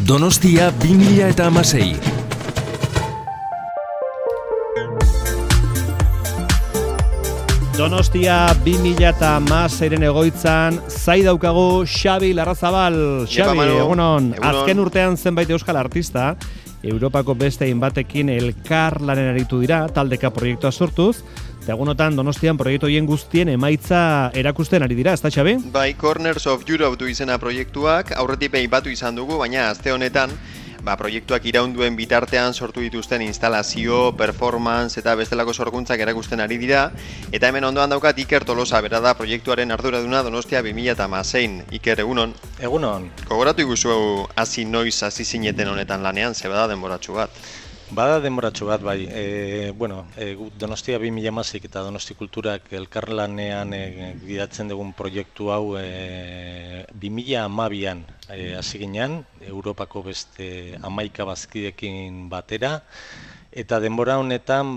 Donostia 2016. Donostia 2016ren egoitzan, zai daukagu Xabi Larrazabal. Xabi, egunon. Azken urtean zenbait euskal artista, Europako beste hainbatekin elkarlanen aritu dira, taldeka proiektua sortuz, eta egunotan Donostian proiektu horien guztien emaitza erakusten ari dira, ezta Xabi? Bai, Corners of Europe du izena proiektuak, aurretik batu izan dugu, baina aste honetan, proiektuak iraunduen bitartean sortu dituzten instalazio, performance eta bestelako sorkuntzak erakusten ari dira, eta hemen ondoan daukat Iker Tolosa, bera da proiektuaren arduraduna Donostia 2016. Iker, egunon? Egunon. Gogoratu iguzu hasi noiz hasi zineten honetan lanean, ze bada denboratxu bat? Bada denboratxu bat, bai. Donostia 2016 eta Donosti Kulturak elkarlanean gidatzen dugun proiektu hau 2012an hasi ginen, Europako beste 11 bazkidekin batera, eta denbora honetan,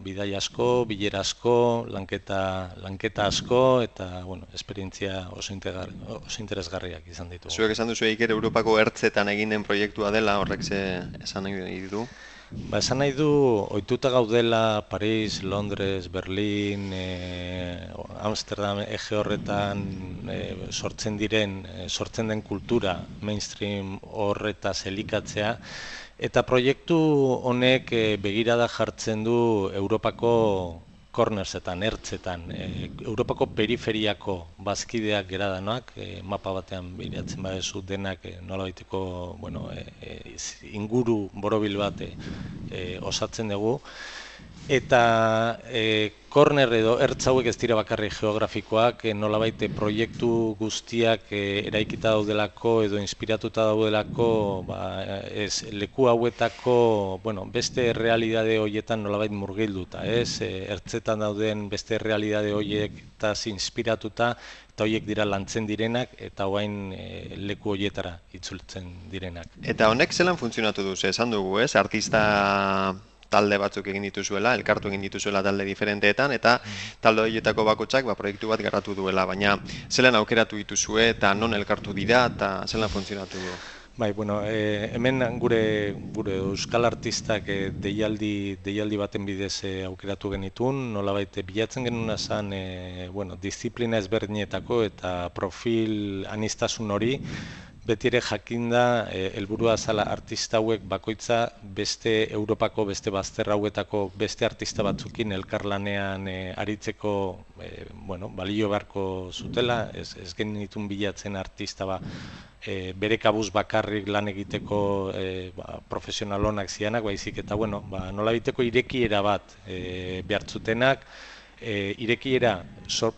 bidai asko, bilera asko, lanketa asko, eta, esperientzia oso interesgarriak izan ditu. Zuek esan duzu Iker, Europako ertzetan egin den proiektua dela, horrek esan nahi du? Esan nahi du, ohituta gaudela Paris, Londres, Berlin, Amsterdam, ege horretan sortzen den kultura, mainstream horretaz elikatzea, eta proiektu honek begirada jartzen du Europako cornersetan, ertzetan, Europako periferiako bazkideak geradanak, mapa batean begiratzen badezu denak nolabaiteko inguru borobil bat osatzen dugu. Eta corner edo ertz hauek ez dira bakarrik geografikoak, nolabait proiektu guztiak eraikita daudelako edo inspiratuta daudelako, leku hauetako beste errealidade horietan nolabait murgilduta, ertzetan dauden beste errealidade horietaz inspiratuta, eta horiek dira lantzen direnak, eta orain leku horietara itzultzen direnak. Eta honek zelan funtzionatu du, esan dugu, artista talde batzuk egin dituzuela, elkartu egin dituzuela talde diferenteetan, eta talde horietako bakotsak proiektu bat garatu duela, baina zelan aukeratu dituzue eta non elkartu dira eta zelan funtzionatu du? Hemen gure euskal artistak deialdi baten bidez aukeratu genitun, nolabait bilatzen genuna zen disiplina ezberdinetako eta profil aniztasun hori, beti ere jakinda helburua zala artista hauek bakoitza beste Europako, beste bazter hauetako beste artista batzukin elkarlanean aritzeko balio beharko zutela, ez genitun bilatzen artista bere kabuz bakarrik lan egiteko profesional onak zianak, baizik eta nolabiteko irekiera bat behartzutenak, irekiera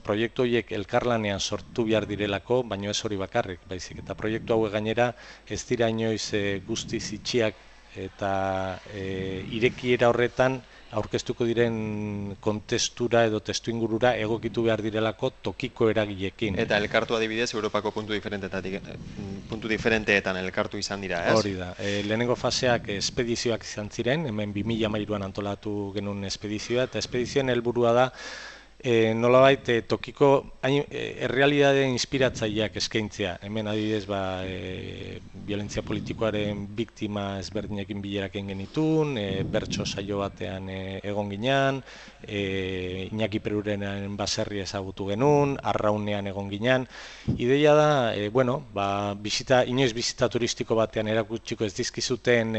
proiektu horiek elkarlanean sortu behar direlako, baino ez hori bakarrik, baizik eta proiektu hauek gainera ez dira inoiz guztiz itxiak eta irekiera horretan aurkeztuko diren kontestura edo testuingurura egokitu behar direlako tokiko eragileekin. Eta elkartu adibidez Europako puntu diferenteetan elkartu izan dira, ez? Hori da. Lehenengo faseak espedizioak izan ziren, hemen 2013an antolatu genuen espedizioa, eta espedizioen helburua da nolabait tokiko errealidade inspiratzaileak eskaintzea. Hemen adibidez violentzia politikoaren biktima ezberdinekin bileraken genitun, bertso saio batean egon ginean, Iñaki Perurenen baserri ezagutu genuen, Arraunean egon ginean. Ideia da, inoiz bizita turistiko batean erakutsiko ez dizkizuten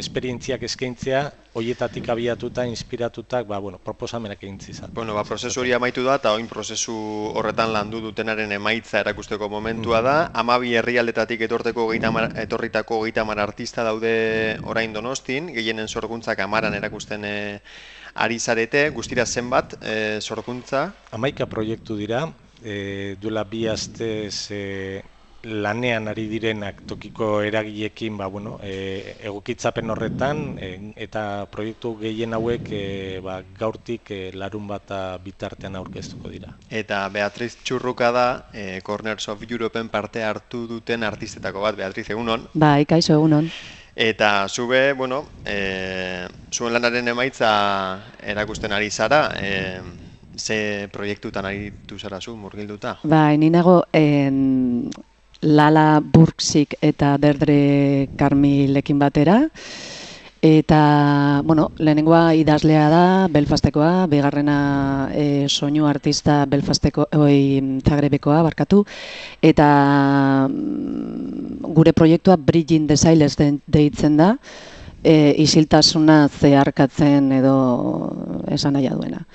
esperientziak eskaintzea, horietatik abiatuta, inspiratutak, proposamenak egin zizan. Prozesu hori amaitu da, eta oin prozesu horretan landu dutenaren emaitza erakusteko momentua da. 12 herrialdetatik etorritako 30 artista daude orain Donostin, gehienen sorkuntzak 10 erakusten ari zarete, guztira zenbat sorkuntza? 11 proiektu dira, duela 2 astez lanean ari direnak tokiko eragileekin egokitzapen horretan, eta proiektu gehien hauek gaurtik larun bata bitartean aurkeztuko dira. Eta Beatriz Txurruka da, Corners of Europen parte hartu duten artistetako bat. Beatriz, egunon? Bai, kaixo, egunon. Eta zube, zuen lanaren emaitza erakusten ari zara, ze proiektutan aritu zara zu, murgilduta? Bai, ni nago Lala Burksik eta Derdre Carmilekin batera. Eta, bueno, lehenengoa idazlea da, Belfastekoa, bigarrena soinu artista Zagrebekoa, barkatu, eta gure proiektua Bridging the Silence deitzen da, isiltasuna zeharkatzen edo esan nahi duena.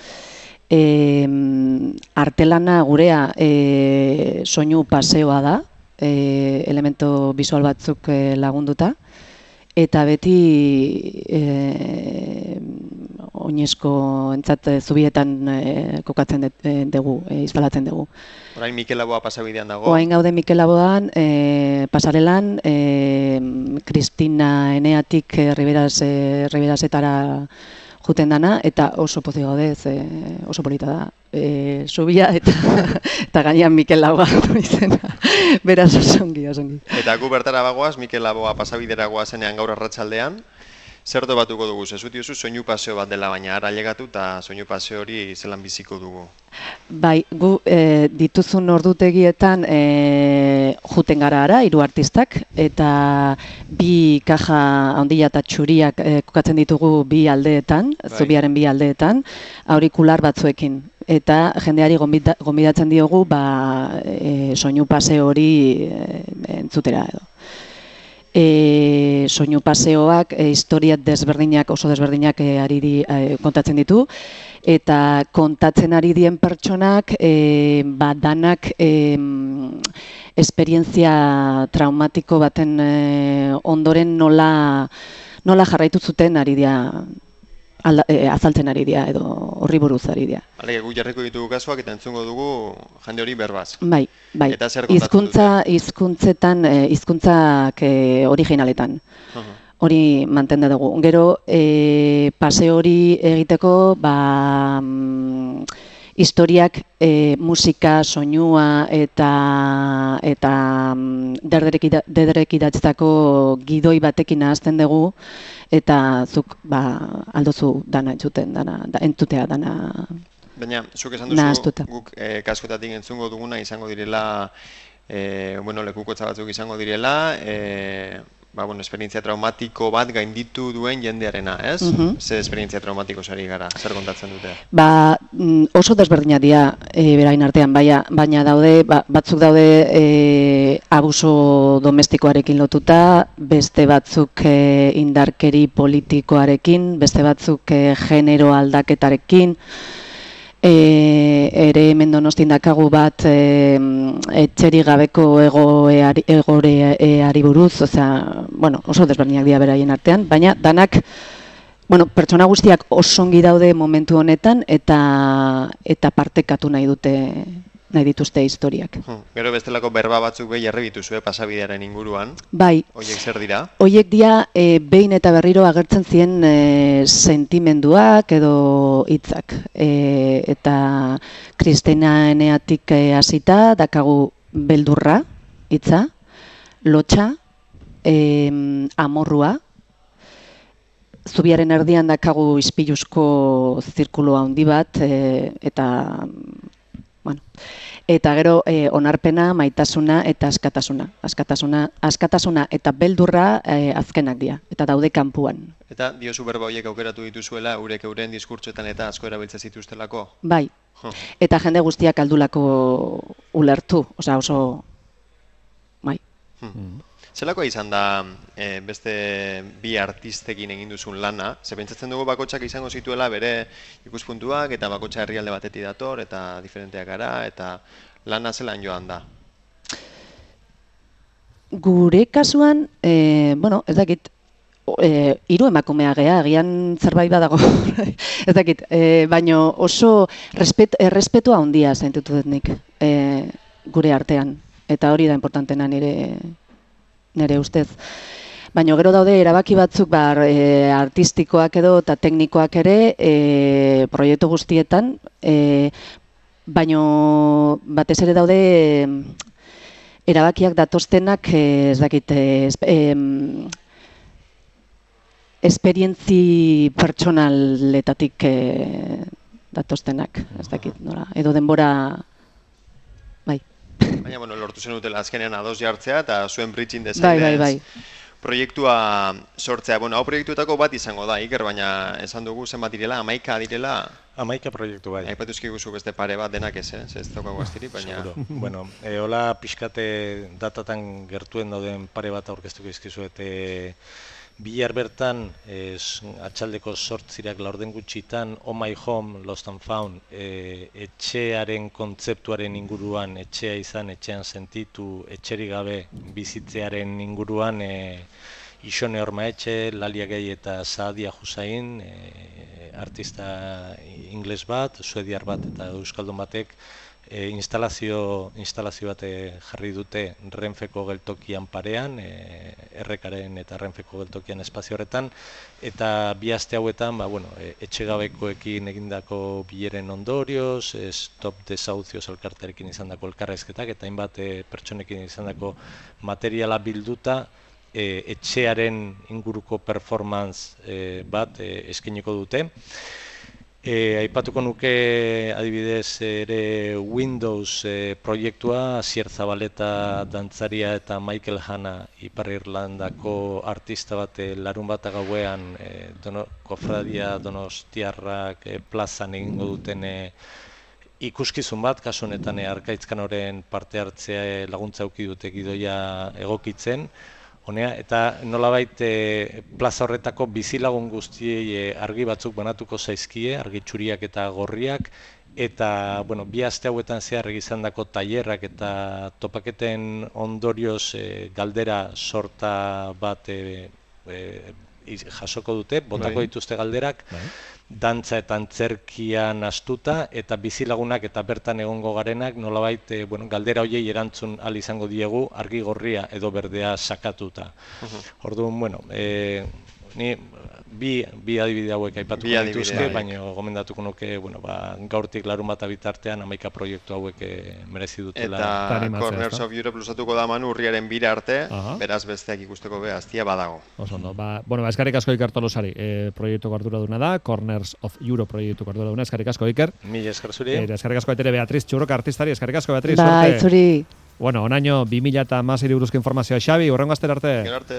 Artelana gurea soinu paseoa da, elemento bisual batzuk lagunduta, eta beti oinezko entzat zubietan kokatzen dugu, instalatzen dugu. Orain Mikel Laboa pasabidean dago? Orain gaude Mikel Laboan, pasarelan, Kristina Eneatik Riberasetara juten dana, eta oso pozik gaude, oso polita da. Zubia eta gainean Mikel Laboa izena. Beraz osongi. Eta gu bertara bagoaz, Mikel Laboa pasabidera goazenean gaur arratsaldean. Zer batuko dugu? Zezutiozu soinu paseo bat dela, baina ara llegatu eta soinu paseo hori zelan biziko dugu. Bai, gu dituzun ordutegietan juten gara ara, 3 artistak, eta 2 kaja handia eta txuriak kokatzen ditugu 2 aldeetan, zubiaren 2 aldeetan, aurikular batzuekin. Eta jendeari gonbidatzen diogu soinu paseo hori entzutera edo. Soinu paseoak historia oso desberdinak kontatzen ditu, eta kontatzen ari dien pertsonak danak esperientzia traumatiko baten ondoren nola jarraitu zuten ari dira, azaltzen ari dira edo horri buruz ari dira. Gu jarriko ditugu kasuak eta entzungo dugu jende hori berbaz. Bai. Eta zer kontatzen dute? Hizkuntzak originaletan. Hori mantenda dugu. Gero, paseo hori egiteko, historiak, musika, soinua eta dederek idatzitako gidoi batekin nahazten dugu, eta zuk aldozu dana entzutea dana. Baina, zuk esan duzu, guk kaskotatik entzungo duguna izango direla, lekukotza batzuk izango direla, esperientzia traumatiko bat gainditu duen jendearena, ez? Zer esperientzia traumatiko sari gara, zer kontatzen dute? Oso desberdinak dira berain artean, baina daude, batzuk daude abuso domestikoarekin lotuta, beste batzuk indarkeri politikoarekin, beste batzuk genero aldaketarekin, ere hemen Donostin dakagu bat etxerik gabeko egoreari buruz, oso desberdinak dira beraien artean, baina danak, pertsona guztiak osongi daude momentu honetan eta partekatu nahi dituzte historiak. Gero bestelako berba batzuk behi jarri dituzue pasabidearen inguruan. Bai. Horiek zer dira? Horiek dira behin eta berriro agertzen ziren sentimenduak edo hitzak. Eta Kristina Eneatik hasita dakagu beldurra hitza, lotxa, amorrua, zubiaren erdian dakagu ispiluzko zirkulo handi bat, eta gero onarpena, maitasuna eta askatasuna. Askatasuna eta beldurra azkenak dira, eta daude kanpuan. Eta diozu berba horiek aukeratu dituzuela, euren diskurtsoetan eta asko erabiltzen zituztelako? Bai, eta jende guztiak aldulako ulertu, oso, bai. Zelakoa izan da beste 2 artistekin egin duzun lana? Ze pentsatzen dugu bakotxak izango zituela bere ikuspuntuak eta bakotxa herrialde batetik dator eta diferenteak gara eta lana zelan joan da? Gure kasuan, ez dakit, 3 emakumea gea, agian zerbait badago, ez dakit, baina oso errespetua handia zaintutu dut nik gure artean, eta hori da importantena nire ustez. Baina gero daude erabaki batzuk artistikoak edo eta teknikoak ere proiektu guztietan, baina batez ere daude erabakiak datoztenak, ez dakit, esperientzi pertsonaletatik datoztenak, ez dakit, edo denbora, bai. Baina, bueno, lortu zen dutela azkenean ados jartzea eta zuen bridging design Bai. proiektua sortzea. Bueno, hau proiektuetako bat izango da, Iker, baina esan dugu zenbat direla, 11 direla. 11 proiektu bai. Aipatu eskaiguzu beste pare bat denak ez daukagu astirik, baina... Seguro. Bueno, hola pixkate datatan gertuen dauden pare bat aurkeztuko izkizuet. Bihar bertan, atxaldeko 8 laurden gutxitan, Oh My Home, Lost and Found, etxearen kontzeptuaren inguruan, etxea izan, etxean sentitu, etxerik gabe bizitzearen inguruan, Ixone Ormaetxe, Lalia Gay eta Saadia Hussain, artista ingles bat, suediar bat eta euskaldun batek, instalazio bat jarri dute Renfeko geltokian parean, errekaren eta Renfeko geltokian espazio horretan, eta bi aste hauetan, etxegabekoekin egindako bileren ondorioz, Stop Desahucios elkartearekin izandako elkarrezketak, eta hainbat pertsonekin izandako materiala bilduta, etxearen inguruko performance bat eskainiko dute. Aipatuko nuke adibidez ere Windows proiektua, Asier Zabaleta dantzaria eta Michael Hanna Ipar Irlandako artista bat larun bat gauean Kofradia Donostiarrak plazan egingo duten ikuskizun bat, kasu honetan Arkaitzkanoren parte hartzea laguntza eduki dute gidoia egokitzen. Eta nolabait plaza horretako bizilagun guztiei argi batzuk banatuko zaizkie, argi txuriak eta gorriak, eta bi aste hauetan zehar egizandako tailerrak eta topaketen ondorioz galdera sorta bat jasoko dute, botako dituzte galderak, dantza eta antzerkian astuta, eta bizilagunak eta bertan egongo garenak nolabait galdera horiei erantzun ahal izango diegu argi gorria edo berdea sakatuta. Orduan, ni bi adibide hauek aipatuko dituzke, baina gomendatuko nuke gaurtik larun bat bitartean 11 proiektu hauek merezi dutela. Eta Corners of Europe lusatuko da Manu urriaren 2 arte, beraz besteak ikusteko behaztia badago. Oso ondo, eskerrik asko Iker Tolosari, proiektuko arduraduna da, Corners of Europe proiektuko arduraduna, eskerrik asko Iker. Mila esker zuri. Eskerrik asko etere Beatriz Txurroka artistari, eskerrik asko Beatriz. Bai, zuri. Onaino 2016 buruzko informazioa Xabi, hurrengo astera arte. Gero arte.